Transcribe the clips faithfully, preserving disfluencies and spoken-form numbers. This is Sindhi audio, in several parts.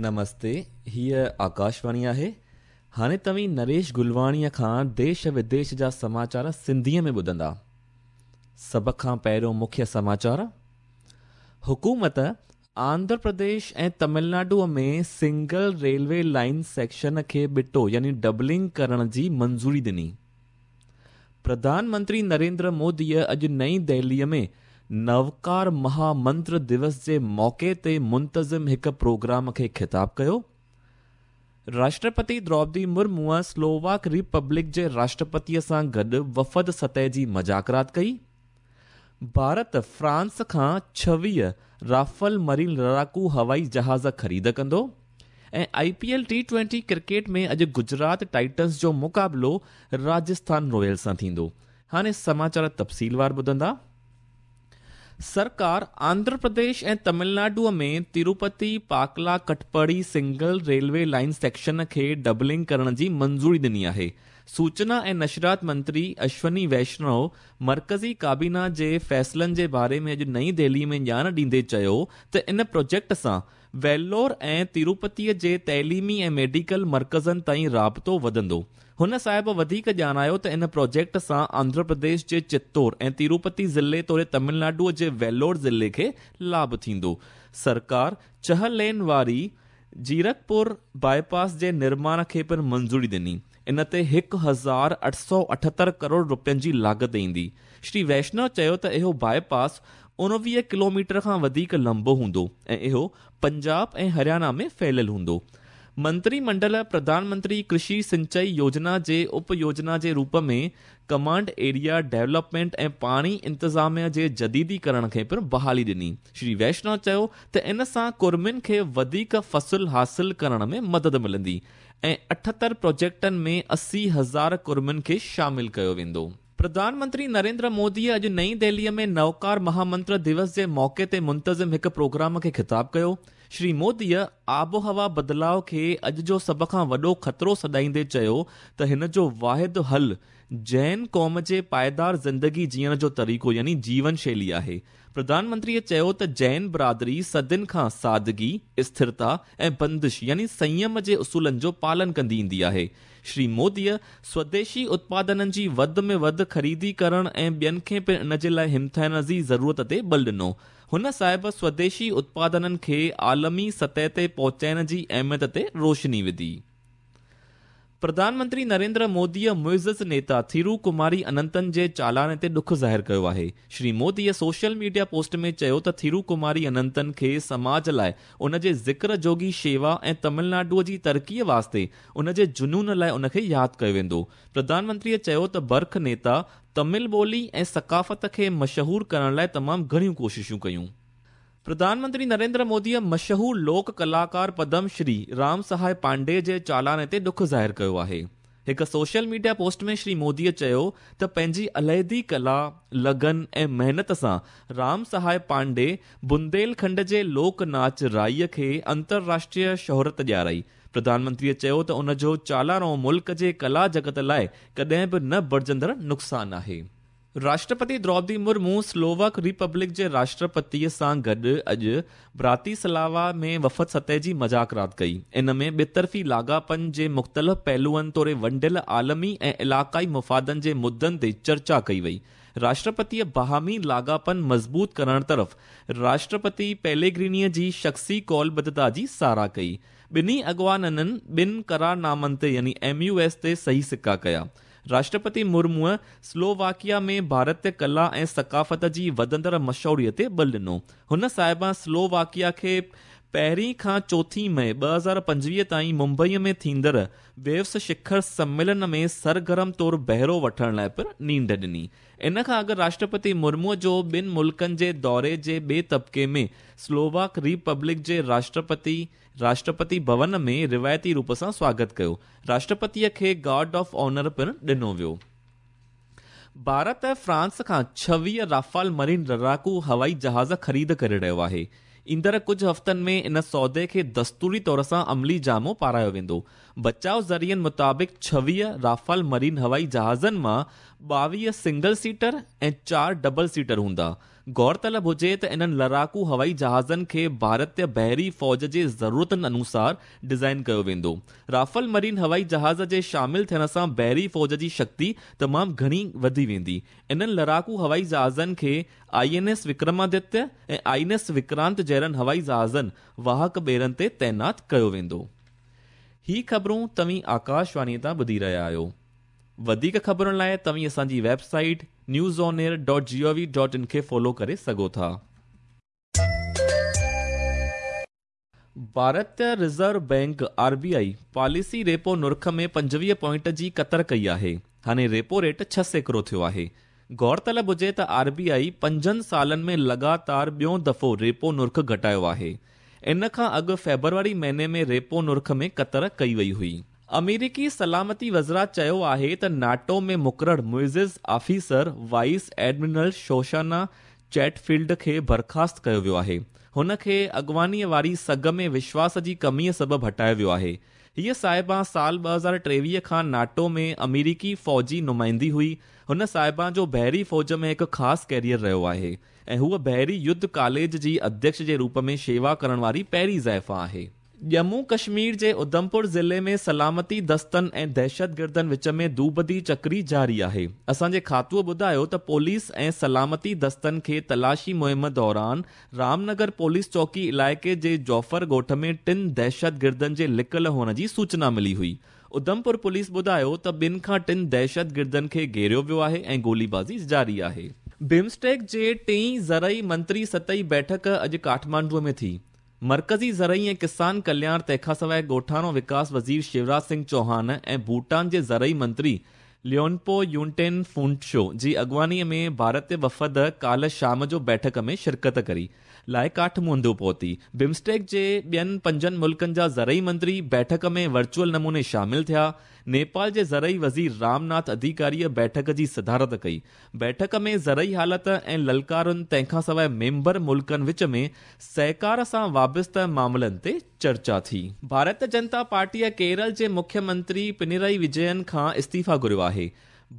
نمستي، هيء آڪاشواڻي آهي. هاڻي توهين نريش گلواڻيءَ کان ديش وديش جا سماچار سنڌيءَ ۾ ٻڌندا. سڀ کان پهريون مکيه سماچار. حڪومت آنڌرا پرديش ۽ تامل ناڊوءَ ۾ سنگل ريلوي لائن سيڪشن کي ٻٽو يعني ڊبلنگ ڪرڻ جي منظوري ڏني. پرڌان منتري نريندر موديءَ اڄ نئين دهليءَ ۾ نوڪار مهامنتر دوس جي موقعي تي منتظم هڪ پروگرام کي خطاب ڪيو. راشٽرپتي دروپدي مرموءَ سلوواڪ ريپبلڪ جي راشٽرپتيءَ سان گڏ وفد سطح جي مذاڪرات ڪئي. ڀارت فرانس کان ڇويهه رافل مرين لڙاڪو هوائي جهاز خريد ڪندو. ۽ I P L T twenty cricket ۾ اڄ گجرات ٽائٽنز جو مقابلو راجسٿان رائلز سان ٿيندو. هاڻي سماچار تفصيلوار ٻڌندا. سرڪار آنڌرا پرديش ۽ تامل ناڊوءَ ۾ Tirupati Pakala Katpadi single railway line section کي ڊبلنگ ڪرڻ جي منظوري ڏني آهي. سوچنا ۽ نشرات منتري اشوني ويشنو مرڪزي ڪابينا جي فيصلن جي باري ۾ اڄ نئين دهلي ۾ ڄاڻ ڏيندي چيو ته ان پروجيڪٽ سان ويلور ۽ تروپتيءَ جي تعليمي ۽ ميڊيڪل مرڪزن تائين رابطو وڌندو. هن صاحب وڌيڪ ڄاڻايو ته ان پروجيڪٽ سان آنڌرا پرديش جي چتور ۽ تروپتي ضلعي توڙي تامل ناڊوءَ جي ويلور ضلعي کي لاڀ ٿيندو. سرڪار ڇهه لين واري جيرڪپور باءِ پاس جي نرماڻ کي پڻ منظوري ڏني. ان تي هڪ هزار اٺ سؤ اٺهتر ڪروڙ رپين جي لاڳت ايندي. شري ويشنو چيو ته اهو باءِ پاس اڻويهه ڪلو ميٽر کان وڌيڪ لمبو هوندو ۽ اهو پنجاب ۽ هرياڻا ۾ ڦهليل هوندو. منتري منڊل پرڌان منتري ڪرشي سنچائي يوجنا جي اپ يوجنا جي روپ ۾ ڪمانڊ ايريا ڊيولپمينٽ ۽ پاڻي انتظاميا جي جديديڪرڻ کي پڻ بحالي ڏني. شري ويشنو چيو ته ان سان ڪرمين کي وڌيڪ فصل حاصل ڪرڻ ۾ مدد ملندي ۽ اٺهتر پروجيڪٽن ۾ اسي هزار ڪرمين کي شامل ڪيو ويندو. پرڌان منتري نريندر موديءَ اڄ نئين دهليءَ ۾ نوڪار مهامنتر دوس جي موقعي تي منتظم هڪ پروگرام کي خطاب ڪيو. شري موديءَ آبهوا بدلاءُ کي اڄ جو سڀ کان وڏو خطرو سڏائيندي چيو ته هن جو واحد حل جين قوم جي پائيدار زندگي جيئڻ جو طريقو يعني جيون شيلي آهي. پرڌان منتريءَ چيو ته جين برادري صدين کان سادگي، اسٿرتا ۽ بندش يعني سنيم جي اصولن جو پالن ڪندي ايندي آهي. شري موديءَ سوديشي اتپادنن جي وڌ ۾ وڌ خريدي ڪرڻ ۽ ٻين کي پڻ ان جي لاءِ همٿائڻ جي ضرورت تي بل ڏنو. هن صاحب سوديشي اتپادنن کي عالمي سطح تي پهچائڻ جي اهميت تي روشني وڌي. پرڌان منتري نريندر موديءَ معزز نيتا ٿيرو ڪماري اننتن جي چالاڻي تي ڏک ظاهر ڪيو آهي. شري موديءَ سوشل ميڊيا پوسٽ ۾ چيو ته ٿيرو ڪماري اننتن کي سماج لاءِ ان جي ذڪر جوڳي شيوا ۽ تامل ناڊوءَ جي ترقيءَ واسطي ان جي جنون لاءِ ان کي ياد ڪيو ويندو. پرڌان منتريءَ چيو ته برک نيتا تامل ٻولي ۽ ثقافت کي مشهور ڪرڻ لاءِ تمام گهڻيون ڪوششون ڪيون. پرڌان منتري نريندر موديءَ مشهور لوڪ ڪلاڪار پدم شري رام سهاءِ پانڊي جي چالاڻي تي ڏک ظاهر ڪيو آهي. هڪ سوشل ميڊيا پوسٽ ۾ شري موديءَ چيو ته پنهنجي عليحدي ڪلا، لگن ۽ محنت سان رام سهاءِ پانڊي بنديلکنڊ جي لوڪ ناچ رائيءَ کي انترراشٽريه شهرت ڏيارائي. پرڌان منتريءَ چيو ته ان جو چالاڻو ملڪ جي ڪلا جگت لاءِ ڪڏهن به نه ڀرجندڙ نقصان آهي. راشٽرپتي دروپدي مرمو سلوواڪ ريپبلڪ جي راشٽرپتيءَ سان گڏ اڄ براتيسلاوا ۾ وفد سطح جي مذاڪرات ڪئي. ان ۾ ٻطرفي لاڳاپن جي مختلف پهلوئن توڙي ونڊيل عالمي ۽ علائقائي مفادن جي مدعن تي چرچا ڪئي وئي. راشٽرپتيءَ باهمي لاڳاپن مضبوط ڪرڻ طرف راشٽرپتي پيليگرينيءَ جي شخصي قولبڌتا جي ساراهه ڪئي. ٻنهي اڳواڻن ٻن قرارنامن تي يعني ايم يو ايس تي صحيح سڪا ڪيا. راشٽرپتي مرموءَ سلوواڪيا ۾ ڀارتيه ڪلا ۽ ثقافت جي وڌندڙ مشهوريءَ تي بل ڏنو. هن صاحب سلوواڪيا کي پهرين کان چوٿين مئي ٻه هزار پنجويهه تائين ممبئيءَ ۾ ٿيندڙ ويوس شکر سميلن ۾ سرگرم طور بهرو وٺڻ لاءِ پڻ نينڍ ڏني. ان کان اڳ راشٽرپتي مرموءَ جو ٻن ملڪن جي دوري جي ٻئي طبقي ۾ سلوواڪ ريپبلڪ جي راشٽرپتي راشٽرپتي ڀون ۾ روايتي روپ سان سواگت ڪيو. راشٽرپتيءَ کي گارڊ آف آنر پڻ ڏنو ويو. ڀارت فرانس کان ڇويهه رافال مرين لڙاڪو هوائي جهاز خريد ڪري رهيو آهي. ايندڙ ڪجهه هفتن ۾ ان سودي کي دستوري طور سان عملي جامو پارايو ويندو. بچاءُ ذريعن مطابق ڇويهه رافال مرين هوائي جهازن مان ٻاويهه سنگل سيٽر ۽ چار ڊبل سيٽر هوندا. غور طلب هجي ته انهن لڙاڪو هوائي جهازن کي ڀارتيه بحري فوج جي ضرورتن انوسار ڊزائن ڪيو ويندو. رافال مرين هوائي جهاز جي شامل ٿيڻ سان بحري فوج جي شڪتي تمام گهڻي وڌي ويندي. انهن لڙاڪو هوائي جهازن کي I N S Vikramaditya ۽ I N S Vikrant جهڙن هوائي جهازن واهڪ ٻيڙن تي تعينات ڪيو ويندو. هي خبرون توهين آڪاشواڻي تان ٻڌي رهيا آهيو. وڌيڪ خبرن لاءِ توهين اسان جي website news on air dot G O V dot in کي فالو ڪري سگهو ٿا. ڀارتيه reserve bank R B I policy repo نرخ ۾ پنجويهه پوائنٽ جي ڪتر ڪئي آهي. هاڻي ريپو ريٽ ڇهه سيڪڙو ٿيو آهي. غور طلب هجي ته آر بي آئي پنجن سالن ۾ لڳاتار ٻيون دفعو ريپو نرخ گهٽايو آهي. ان کان اڳ فيبروري مهيني ۾ ريپو نرخ ۾ ڪتر ڪئي وئي هئي. آمريڪي سلامتي وزارت چيو آهي ته ناٽو ۾ مقرر معزز officer vice admiral Shoshana Chatfield کي برخاست ڪيو ويو آهي. هن کي اڳواڻيءَ واري سگهه ۾ وشواس جي ڪميءَ سبب هٽايو ويو آهي. هيءَ صاحبه سال ٻه هزار ٽيويهه کان ناٽو ۾ آمريڪي فوجي نمائندي هئي. هن صاحبه جو بحري فوج ۾ هڪ خاص ڪيريئر رهيو آهي ۽ هوءَ بحري يڌ ڪاليج جي اڌيڪش جي روپ ۾ شيوا ڪرڻ واري پهرين زائفان آهي. ڄمون ڪشمير جي اڌمپور ضلعي ۾ سلامتي دستن ۽ دهشتگردن وچ ۾ دوبدي چڪري جاري آهي. اسان جي کاتوءَ ٻڌايو ته پوليس ۽ سلامتي دستن کي تلاشي مهم دوران رامنگر پوليس چوڪي علائقي جي جوفر ڳوٺ ۾ ٽن دهشتگردن جي لڪل هئڻ جي سوچنا ملي هئي. اڌمپور پوليس ٻڌايو ته ٻن کان ٽن دهشتگردن کي گهيريو ويو آهي ۽ گوليبازي جاري آهي. بمسٽيڪ جي ٽئين زرعي منتري سطحي بيٺڪ اڄ ڪاٺمانڊوءَ ۾ ٿي. مرڪزي زرعي ۽ ڪسان ڪلياڻ تنهن کان سواءِ ڳوٺاڻو وڪاس وزير شيوراج سنگهه چوهان ۽ ڀوٽان جي زرعي منتري ليونپو يونٽين فونٽشو جي اڳواڻيءَ ۾ ڀارتيه وفد ڪالهه شام جو بيٺڪ ۾ شرڪت ڪري لاءِ ڪاٺمانڊو پهتي. بمسٽيڪ جي ٻين پنجن ملڪن جا زرعي منتري بيٺڪ ۾ ورچوئل نموني شامل ٿيا. نيپال جي زرعي وزير رامناٿ اڌڪاريءَ بيٺڪ جي صدارت ڪئي. بيٺڪ ۾ زرعي حالت ۽ للڪارن تنهن کان سواءِ ميمبر ملڪن وچ ۾ سهڪار سان وابسته معاملن تي چرچا ٿي. ڀارتيه جنتا پارٽيءَ ڪيرل جي مکيه منتري پنرائي وجين کان استعيفا گهريو آهي.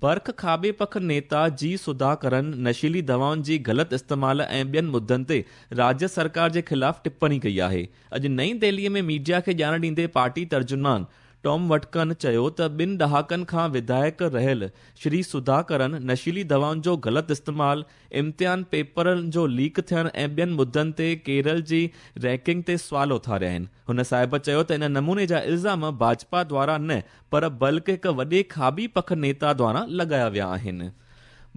برک کاٻي پک نيتا جي سڌاڪرن نشيلي دوائن جي غلط استعمال ۽ ٻين مدعن تي راجيه سرڪار جي خلاف ٽپڻي ڪئي آهي. اڄ نئين دهليءَ ۾ ميڊيا کي ڄاڻ ڏيندي پارٽي ترجمان ٽام وٽڪن چيو ته ٻن ڏهاڪن کان وڌايڪ رهيل شري سڌاڪرن نشيلي دوائن جو غلط استعمال، امتحان پيپرن جو ليڪ ٿيڻ ۽ ٻين مدعن تي ڪيرل جي رينڪنگ تي سوال اٿاريا آهن. هن صاحب چيو ته ان نموني جا الزام ڀاجپا دوارا نه پر بلڪه هڪ وڏي کاٻي پک نيتا دوارا لڳايا ويا آهن.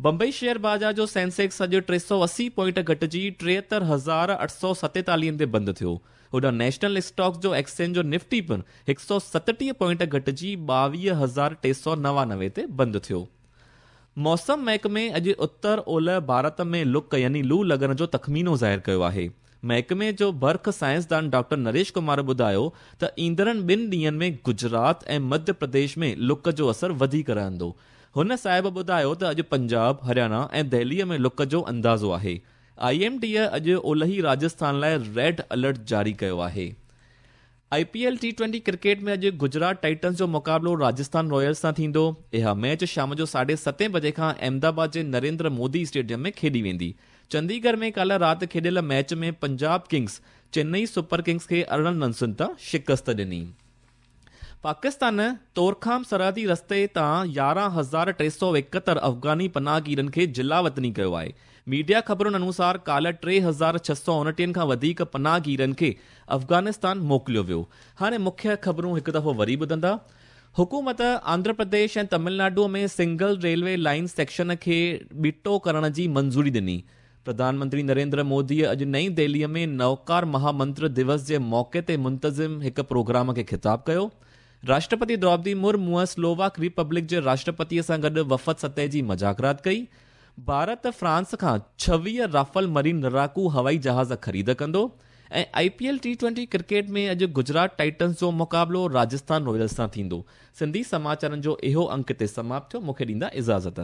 بمبئي شيئر بازار جو سينسيڪس اڄ ٽي سؤ اسي پوائنٽ گهٽجي ٽيهتر هزار اٺ سؤ ستيتاليهن تي بند ٿيو. هوڏانهن نيشنل اسٽاڪس جو ايڪسچينج جو نفٽي پڻ هڪ سؤ ستٽيهه پوائنٽ گهٽجي ٻاويهه هزار ٽي سؤ نوانوي تي بند ٿيو. موسم محڪمي اڄ اتر اولهه ڀارت ۾ لڪ يعني لو لڳڻ جو تخمينو ظاهر ڪيو آهي. محڪمي جو برک سائنسدان ڊاڪٽر نريش ڪمار ٻڌايو ته ايندڙن ٻن ڏينهن ۾ گجرات ۽ مڌيه پرديش ۾ لڪ جو اثر وڌيڪ رهندو. هن صاحب ٻڌايو ته اڄ پنجاب، هرياڻا ۽ دهليءَ ۾ لڪ جو اندازو آهي. I M D اڄ اولهي راجسٿان لاءِ ريڊ الرٽ جاري ڪيو آهي. I P L T twenty cricket ۾ اڄ گجرات ٽائٽنز جو مقابلو راجسٿان رائلز سان ٿيندو. اها ميچ شام جو ساڍي ستين بجي کان احمدآباد جي نريندر مودي اسٽيڊيم ۾ کيڏي ويندي. چنديڳڙهه ۾ ڪالهه رات کيڏيل match ۾ Punjab kings Chennai super kings کي ارڙهن رنسن تان شڪست ڏني. پاڪستان تورخام سرحدي رستي تان يارهن هزار ٽي سؤ ايڪهتر افغاني پناهگيرن کي جلاوطني ڪيو آهي. ميڊيا خبرن انوسار ڪالهه ٽي هزار ڇهه سؤ اڻٽيهن کان وڌيڪ پناهگيرن کي افغانستان موڪليو ويو. هاڻي مکيه خبرون هڪ دفعو وري ٻڌندا. حڪومت Andhra Pradesh ۽ Tamil Nadu ۾ single railway line section کي ٻٽو ڪرڻ جي منظوري ڏني. پرڌان منتري نريندر موديءَ اڄ نئين دهليءَ ۾ نوڪار مهامنتر دوس جي موقعي تي منتظم هڪ پروگرام کي خطاب ڪيو. راشٽرپتي دروپدي مرموءَ سلوواڪ ريپبلڪ جي راشٽرپتيءَ سان گڏ وفد سطح جي مذاڪرات ڪئي. ڀارت فرانس کان ڇويهه رافل مرين لڙاڪو هوائي جهاز خريد ڪندو. ۽ I P L T twenty cricket ۾ اڄ گجرات ٽائٽنز جو مقابلو راجسٿان رائلز سان ٿيندو. سنڌي سماچارن جو اهو انڪ هتي سماپت ٿيو. مون کي ڏيندا اجازت.